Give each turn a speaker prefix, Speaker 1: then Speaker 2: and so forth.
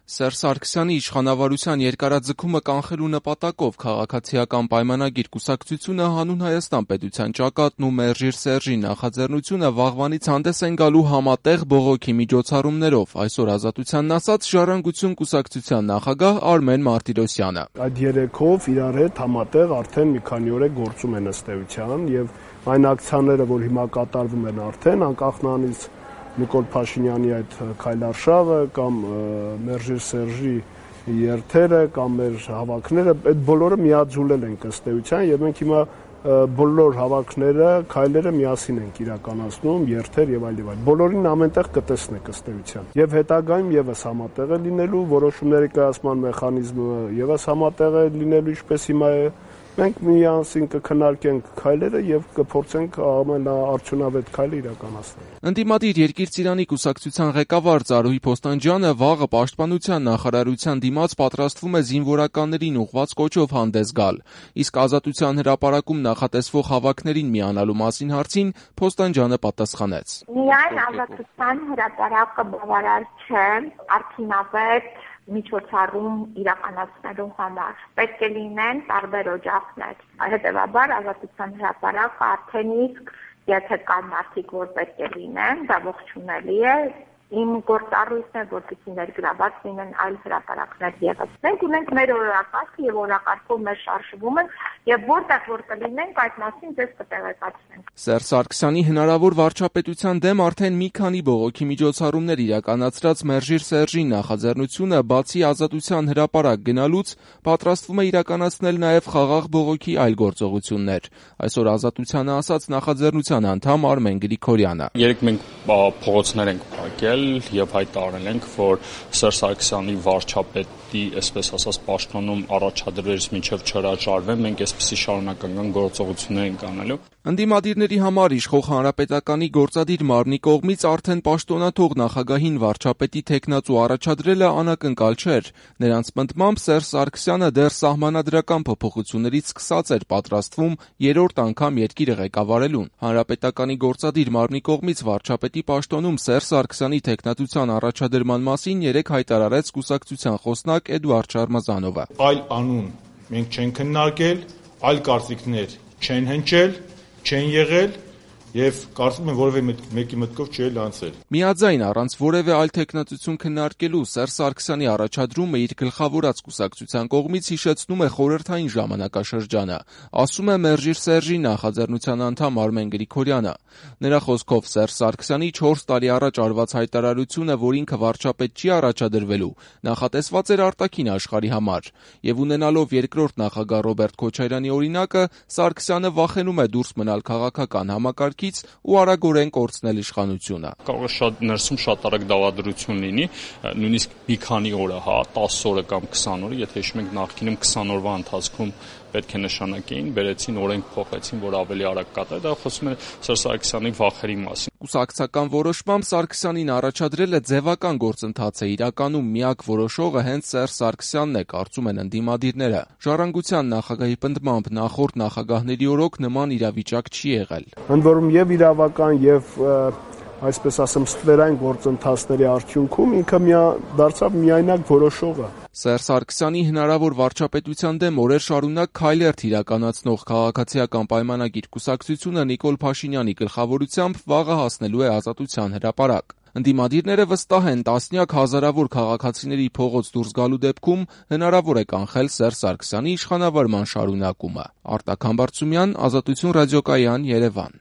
Speaker 1: Սերժ Սարգսյանի իշխանավարության երկարաձգումը կանխելու նպատակով քաղաքացիական պայմանագիր կուսակցությունը հանուն Հայաստան պետության ճակատն ու Մերժիր Սերժի նախաձեռնությունը վաղվանից հանդես են գալու համատեղ բողոքի միջոցառումներով, այսօր Ազատությանն ասաց Ժառանգություն կուսակցության նախագահ Արմեն Մարտիրոսյանը։
Speaker 2: Այդ երեքով իրար հետ համատեղ արդեն մի քանի օր է գործում են ըստ էության եւ այն ակցիաները, որ հիմա կատարվում են արդեն անկախ նրանից Նիկոլ Փաշինյանի այդ քայլարշավը կամ Մերժիր Սերժի երթերը կամ մեր հավաքները, այդ բոլորը միաձուլել են ըստ էության եւ մենք հիմա բոլոր հավաքները, քայլերը միասին ենք իրականացնում, երթեր եւ այլ եւ այլ։ Բոլորին ամենտեղ կտեսնեք ըստ էության։ Եվ հետագայում եւս համատեղ է լինելու որոշումների կայացման մեխանիզմը, եւս համատեղ է լինելու ինչպես հիմա է։ Մենք միասին կքննարկենք քայլերը եւ կփորձենք ամենաարդյունավետ քայլը իրականացնել։
Speaker 1: Ընդդիմադիր Երկիր Ծիրանի կուսակցության ղեկավար Ծառուհի Փոստանջյանը վաղը Պաշտպանության նախարարության դիմաց պատրաստվում է զինվորականներին ուղղված կոչով հանդես գալ, իսկ Ազատության հրապարակում նախատեսվող հավաքներին միանալու մասին հարցին Փոստանջյանը պատասխանեց.
Speaker 3: Միայն Ազատության հրապարակը բավարար չէ արդյունավետ միջոցառում իրականացնելու համար։ Պետք է լինեն տարբեր օջախներ։ Հետևաբար Ազատության հրապարակը արդեն իսկ եթե կան մարդիկ, որ պետք է լինեն, դա ողջունելի է։ Իմ գործառույթն է, որպեսզի ներգրաված լինեն այլ հրապարակներ ևս։ Մենք ունենք մեր օրակարգը եւ օրակարգով մեր շարժվում ենք եւ որտեղ որ կլինենք այդ մասին ձեզ կտեղեկացնենք։
Speaker 1: Սերժ Սարգսյանի հնարավոր վարչապետության դեմ արդեն մի քանի բողոքի միջոցառումներ իրականացրած Մերժիր Սերժի նախաձեռնությունը բացի Ազատության հրապարակ գնալուց պատրաստվում է իրականացնել նաեւ խաղաղ բողոքի այլ գործողություններ։ Այսօր Ազատությանը ասաց նախաձեռնության անդամ Արմեն Գրիգորյանը։
Speaker 4: Երեք մենք փողոցներ ենք փակել եւ հայտարարել ենք, որ Սերժ Սարգսյանի վարչապետի, այսպես ասած, պաշտոնում առաջադրվելուց մինչեւ չհրաժարվեն, մենք այսպիսի շարունակական գործողություններ ենք անելու։
Speaker 1: Ընդդիմադիրների համար իշխող Հանրապետականի գործադիր մարմնի կողմից արդեն պաշտոնաթող նախագահին վարչապետի թեկնածու առաջադրելը անակնկալ չէր։ Նրանց պնդմամբ Սերժ Սարգսյանը դեռ սահմանադրական փոփոխություններից սկսած էր պատրաստվում երրորդ անգամ երկիրը ղեկավարելուն։ Հանրապետականի գործադիր մարմնի կողմից վարչապետի պաշտոնում Սերժ Սարգսյանի թեկնածության առաջադրման մասին երեկ հայտարարեց կուսակցության խոսնակ Էդուարդ Շարմազանովը։
Speaker 5: Այլ անուն մենք չենք քննարկել, այլ կարծիքներ չեն հնչել, չեն եղել եւ կարծում եմ որևէ մեկի մտքով չի անցել։
Speaker 1: Միաձայն առանց որևէ այլ թեկնածություն քննարկելու Սերժ Սարգսյանի առաջադրումը իր գլխավորած կուսակցության կողմից հիշեցնում է խորհրդային ժամանակաշրջանը, ասում է Մերժիր Սերժի նախաձեռնության անդամ Արմեն Գրիգորյանը։ Նրա խոսքով Սերժ Սարգսյանի 4 տարի առաջ արված հայտարարությունը, որ ինքը վարչապետ չի առաջադրվելու, նախատեսված էր արտաքին աշխարհի համար, եւ ունենալով երկրորդ նախագահ Ռոբերտ Քոչարյանի օրինակը, Սարգսյանը վախենում է դուրս մնալ քաղաքական համակարգից ու արագորեն կորցնել իշխանությունը։
Speaker 4: Կարող է շատ ներսում շատ արագ դավադրություն լինի, նույնիսկ մի քանի օրը, 10 օրը կամ 20 օրը, եթե հիշում եք նախկինում 20 օրվա ընթացքում պետք է նշանակեին, բերեցին օրենք փոխեցին, որ ավելի արագ կատարի, դա խոսում է Սերժ Սարգսյանի վախերի մասին։
Speaker 1: Կուսակցական որոշմամբ Սարգսյանին առաջադրելը ձևական գործընթաց է, իրականում միակ որոշողը հենց Սերժ Սարգսյանն է, կարծում են ընդդիմադիրները։ Ժառանգության նախագահի պնդմամբ նախորդ նախագահների օրոք նման իրավիճակ չի եղել։
Speaker 2: Ընդ որում եւ իրավական եւ այսպես ասեմ ստվերային գործընթացների արդյունքում ինքը դարձավ միայնակ որոշողը։
Speaker 1: Սերժ Սարգսյանի հնարավոր վարչապետության դեմ օրեր շարունակ քայլերթ իրականացնող քաղաքացիական պայմանագիր կուսակցությունը Նիկոլ Փաշինյանի գլխավորությամբ վաղը հասնելու է Ազատության հրապարակ։ Ընդդիմադիրները վստահ են տասնյակ հազարավոր քաղաքացիների փողոց դուրս գալու դեպքում հնարավոր է կանխել Սերժ Սարգսյանի իշխանավարման շարունակումը։ Արտակ Համբարձումյան, Ազատություն ռադիոկայան, Երևան։